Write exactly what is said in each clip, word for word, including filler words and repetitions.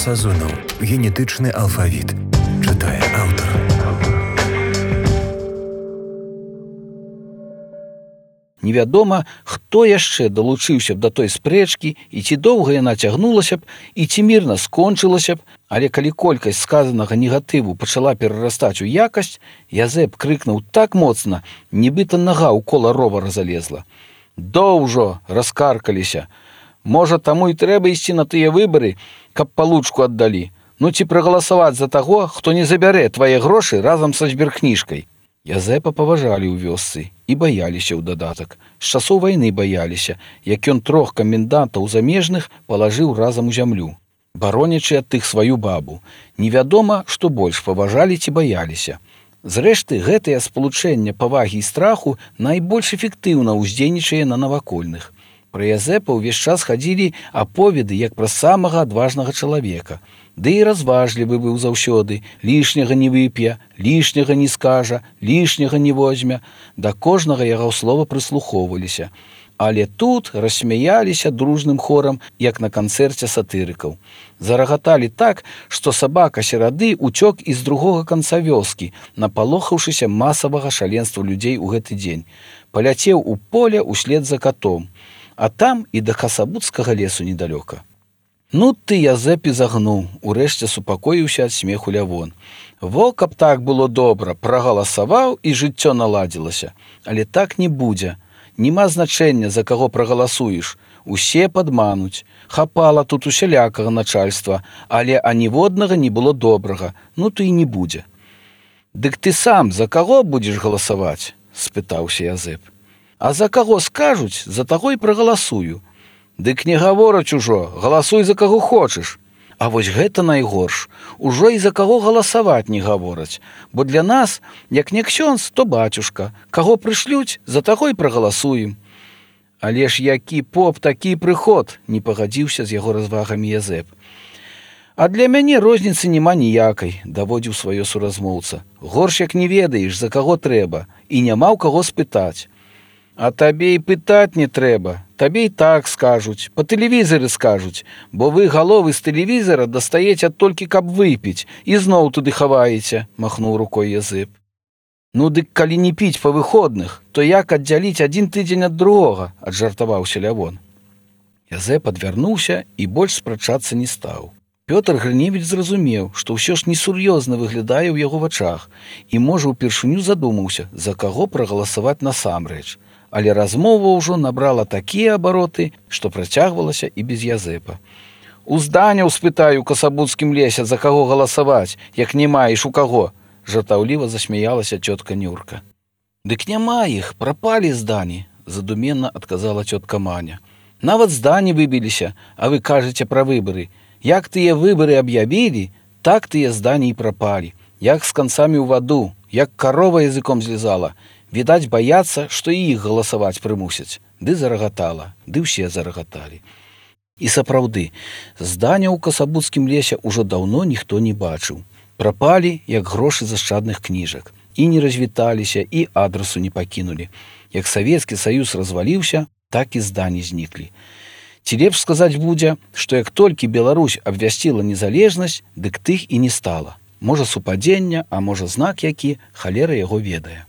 Сазонаў. Генетычны алфавіт. Чытае аўтар. Невядома, хто яшчэ далучыўся б да той спрэчкі, і ці доўга яна цягнулася б, і ці мірна скончылася б, але калі колькасць сказанага негатыву пачала перарастаць у якасць, Язэп крыкнуў так моцна, нібыта нага ў кола ровара залезла. «Доўжо!» раскаркаліся. «Можа, таму і трэба ісці на тыя выбары, каб палучку аддалі. Ну ці прагаласаваць за таго, хто не забярэ твае грошы разам са збіркніжкай». Язэпа паважалі ў вёсцы і баяліся ў дадатак. З часоў вайны баяліся, як ён трох камендантаў замежных палажыў разам у зямлю, баронячы ад тых сваю бабу. Невядома, што больш паважалі ці баяліся. Зрэшты, гэтае спалучэнне павагі і страху найбольш эфектыўна ўздзейнічае на навакольных. Пра Язэпа ўвесь час хадзілі аповеды як пра самага адважнага чалавека. Ды і разважлівы быў заўсёды, лішняга не вып'е, лішняга не скажа, лішняга не возьме. Да кожнага яго слова прыслухоўваліся. Але тут рассмяяліся дружным хорам, як на канцэрце сатырыкаў. Зарагаталі так, што сабака серады ўцёк і з другога канца вёскі, напалохаўшыся масавага шаленства людзей у гэты дзень. Паляцеў у поле услед за катом, а там і да Касабуцкага лесу недалёка. Ну ты, Язэп, і загнуў, урэшце супакоіўся ад смеху Лявон. Во, каб так было добра, прагаласаваў і жыццё наладзілася. Але так не будзе. Нема значэння, за каго прагаласуеш. Усе падмануць. Хапала тут усялякага начальства, але аніводнага не было добрага. Ну то і не будзе. Дык ты сам за каго будзеш галасаваць? Спытаўся Язэп. А за каго скажуць, за таго і прагаласую. Дык не гавораць ужо, галасуй за каго хочаш. А вось гэта найгорш. Ужо і за каго галасаваць не гавораць. Бо для нас, як не ксёндз, то бацюшка. Каго прышлюць, за таго і прагаласуем. Але ж які поп, такі прыход, не пагадзіўся з яго развагамі Язэп. А для мяне розніцы няма ніякай, даводзіў сваё суразмоўца. Горш як не ведаеш, за каго трэба, і няма ў каго спытаць. А табе і пытаць не трэба, табе і так скажуць, па тэлевізары скажуць, бо вы галовы з тэлевізара дастаеце толькі каб выпіць і зноў туды хаваеце, махнуў рукой Язэп. Ну дык калі не піць па выходных, то як аддзяліць адзін тыдзень ад другога, аджартаваўся Лявон. Язэп адвярнуўся і больш спрачацца не стаў. Пётр Грыневіч зразумеў, што ўсё ж несур'ёзна выглядае ў яго вачах і, можа, упершыню задумаўся, за каго прагаласаваць насамрэч. Але размова ўжо набрала такія абароты, што працягвалася і без Язэпа. «У зданяў спытаю ў Касабуцкім лесе, за каго галасаваць, як не маеш у каго», – жартаўліва засмяялася цётка Нюрка. «Дык няма іх, прапалі здані», – задуменна адказала цётка Маня. «Нават здані выбіліся, а вы кажаце пра выбары. Як тыя выбары аб'явілі, так тыя здані і прапалі. Як з канцамі ў ваду, як карова языком злізала. Відаць, баяцца, што і іх галасаваць прымусяць. Ды зарагатала, ды ўсе зарагаталі». І сапраўды, зданяў у Касабуцкім лесе ўжо даўно ніхто не бачыў. Прапалі, як грошы з ашчадных кніжак. І не развіталіся, і адрасу не пакінулі. Як Савецкі Саюз разваліўся, так і здані зніклі. Ці лепш сказаць будзе, што як толькі Беларусь абвясціла незалежнасць, дык тых і не стала. Можа, супадзення, а можа, знак які, халера яго ведае.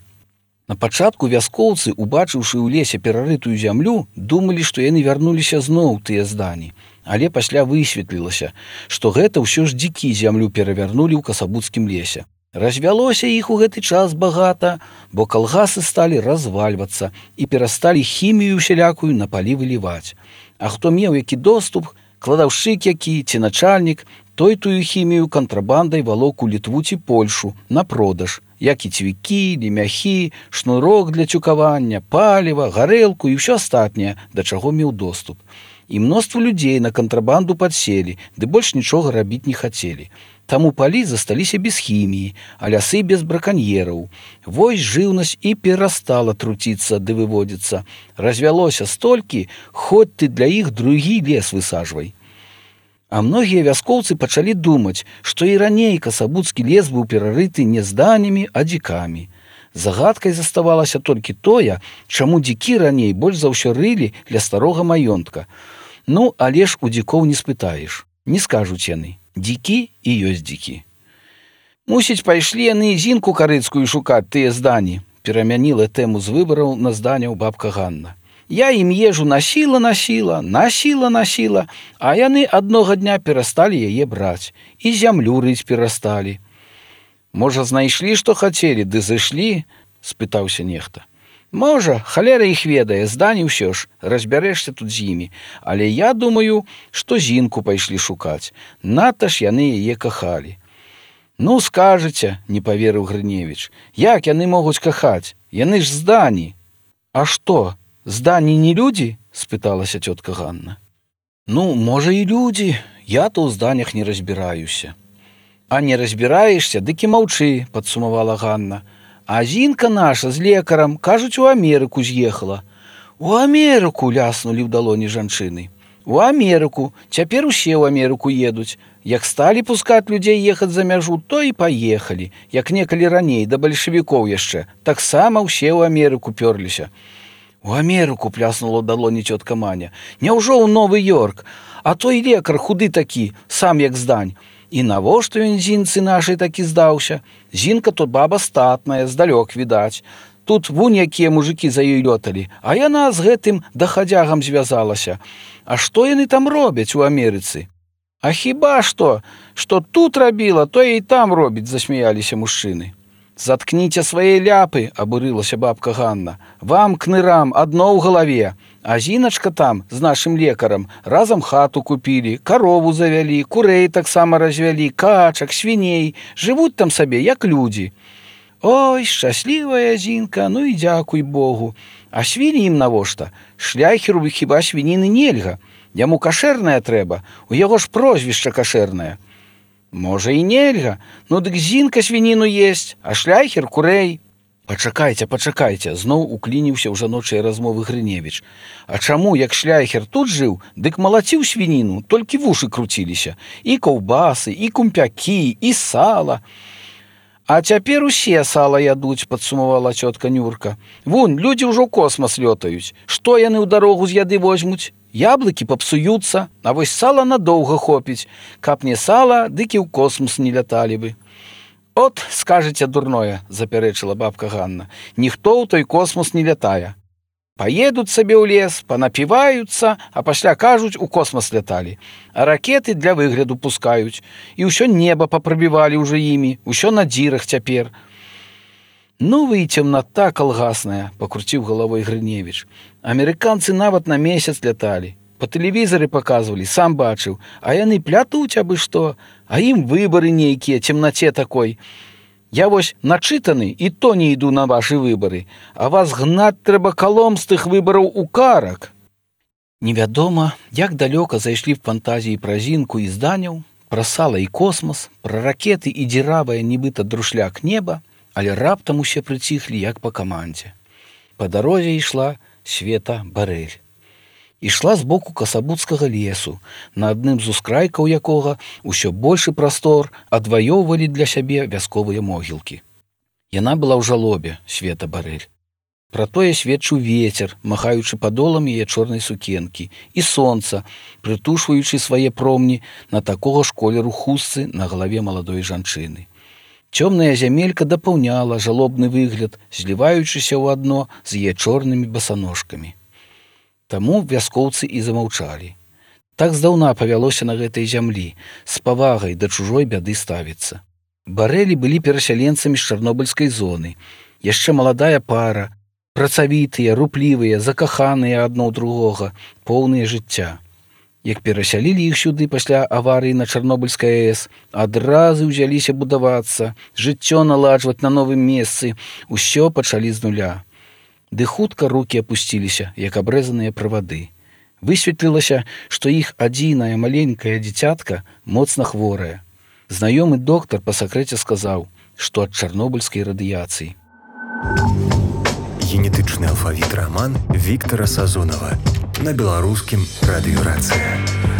На пачатку вяскоўцы, убачыўшы ў лесе перарытую зямлю, думалі, што яны вярнуліся зноў тыя здані. Але пасля высветлілася, што гэта ўсё ж дзікі зямлю перавярнулі ў Касабуцкім лесе. Развялося іх у гэты час багата, бо калгасы сталі развальвацца і перасталі хімію усялякую на палі выліваць. А хто меў які доступ, кладаўшчык які ці начальнік, той тую хімію кантрабандай валок у Літву ці Польшу на продаж, як і цвікі, лемяхі, шнурок для цюкавання, паліва, гарэлку і ўсё астатняе, да чаго меў доступ. І мноства людзей на кантрабанду падселі, ды больш нічога рабіць не хацелі. Таму палі засталіся без хіміі, а лясы без браканьераў. Вось жыўнасць і перастала труціцца ды выводзіцца. Развялося столькі, хоць ты для іх другі лес высаджвай. А многія вяскоўцы пачалі думаць, што і раней Касабуцкі лес быў перарыты не зданямі, а дзікамі. Загадкай заставалася толькі тое, чаму дзікі раней больш за ўсё рылі ля старога маёнтка. Ну, але ж у дзікоў не спытаеш. Не скажуць яны. Дзікі і ёсць дзікі. Мусіць, пайшлі яны зінку карыцкую шукаць тыя здані, перамяніла тэму з выбараў на зданяў бабка Ганна. Я ім ежу насіла, насіла, насіла, насіла, а яны аднога дня перасталі яе браць і зямлю рыць перасталі. Можа, знайшлі, што хацелі, ды зышлі? Спытаўся нехта. Можа, халера іх ведае, здані ўсё ж, разбярэшся тут з імі. Але я думаю, што зінку пайшлі шукаць. Надта ж яны яе кахалі. Ну, скажаце, не паверыў Грыневіч, як яны могуць кахаць? Яны ж здані. А што, здані не людзі? Спыталася цётка Ганна. Ну, можа, і людзі, я то ў зданях не разбіраюся. А не разбіраешся, дык і маўчы, падсумавала Ганна. А зінка наша з лекарам, кажуць, у Амерыку з'ехала. У Амерыку, ляснулі ў далоні жанчыны. У Амерыку, цяпер усе ў Амерыку едуць. Як сталі пускаць людзей ехаць за мяжу, то і паехалі. Як некалі раней, да бальшавікоў яшчэ, таксама ўсе ў Амерыку пёрліся. У Амерыку, пляснула ў далоні цётка Маня. Няўжо ў Новы-Йорк? А той лекар худы такі, сам як здань. І навошта ён зінцы нашай такі здаўся? Зінка то баба статная, здалёк відаць. Тут вунь якія мужыкі за ёй лёталі, а яна з гэтым дахадзягам звязалася. А што яны там робяць у Амерыцы? А хіба што, што тут рабіла, то і там робіць, засмяяліся мужчыны. Заткніце свае ляпы, абурылася бабка Ганна. Вам, кнырам, адно ў галаве. А зіначка там з нашым лекарам разам хату купілі, карову завялі, курэй таксама развялі, качак, свіней, жывуць там сабе, як людзі. Ой, шчаслівая зінка, ну і дзякуй Богу. А свіні ім навошта? Шляхеру хіба свініны нельга. Яму кашэрная трэба, у яго ж прозвішча кашэрнае. Можа, і нельга, ну дык зінка свініну есць, а шляхер курэй. Пачакайце, пачакайце, зноў уклініўся ў жаночыя размовы Грыневіч. А чаму, як шляхер тут жыў, дык малаціў свініну, толькі вушы круціліся. І каўбасы, і кумпякі, і сала. А цяпер усе сала ядуць, падсумавала цётка Нюрка. Вунь, людзі ўжо ў космас лётаюць. Што яны ў дарогу з яды возьмуць? Яблыкі папсуюцца, а вось сала надоўга хопіць. Каб не сала, дык і ў космас не ляталі бы. От, скажаце дурное, запярэчыла бабка Ганна. Ніхто ў той космас не лятае. Паедуць сабе ў лес, панапіваюцца, а пасля кажуць, у космас ляталі. А ракеты для выгляду пускаюць. І ўсё неба папрабівалі ўжо імі, усё на дзірах цяпер. Ну вы і цемната калгасная, пакруціў галавой Грыневіч. Амерыканцы нават на месяц ляталі. Па тэлевізары паказвалі, сам бачыў. А яны плятуць абы што, а ім выбары нейкія, цемнаце такой. Я вось начытаны, і то не іду на вашы выбары. А вас гнаць трэба калом з тых выбараў у карак. Невядома, як далёка зайшлі в фантазіі пра зінку і зданяў, пра сала і космас, пра ракеты і дзіравае нібыта друшляк неба, але раптам усе прыціхлі, як па камандзе. Па дарозе ішла Света Барэль. Ішла з боку касабуцкага лесу, на адным з ускрайкаў якога ўсё большы прастор адваёўвалі для сябе вясковыя могілкі. Яна была ў жалобе, Света Барэль. Пра тое сведчыў вецер, махаючы падолам яе чорнай сукенкі, і сонца, прытушваючы свае промні на такога ж колеру хустцы на галаве маладой жанчыны. Цёмная зямелька дапаўняла жалобны выгляд, зліваючыся ў адно з яе чорнымі басаножкамі. Таму вяскоўцы і замаўчалі. Так здаўна павялося на гэтай зямлі, з павагай да чужой бяды ставіцца. Барэлі былі перасяленцамі з чарнобыльскай зоны. Яшчэ маладая пара, працавітыя, руплівыя, закаханыя адно ў другога, поўныя жыцця. Як перасялілі іх сюды пасля аварыі на Чарнобыльскай АЭС, адразу ўзяліся будавацца, жыццё наладжваць на новым месцы, усё пачалі з нуля. Ды хутка рукі апусціліся, як абрэзаныя правады. Высветлілася, што іх адзінае маленькае дзіцятка моцна хворае. Знаёмы доктар па сакрэце сказаў, што ад чарнобыльскай радыяцыі. Генетычны алфавіт раман Віктара Сазонава на беларускім радыёрацыя.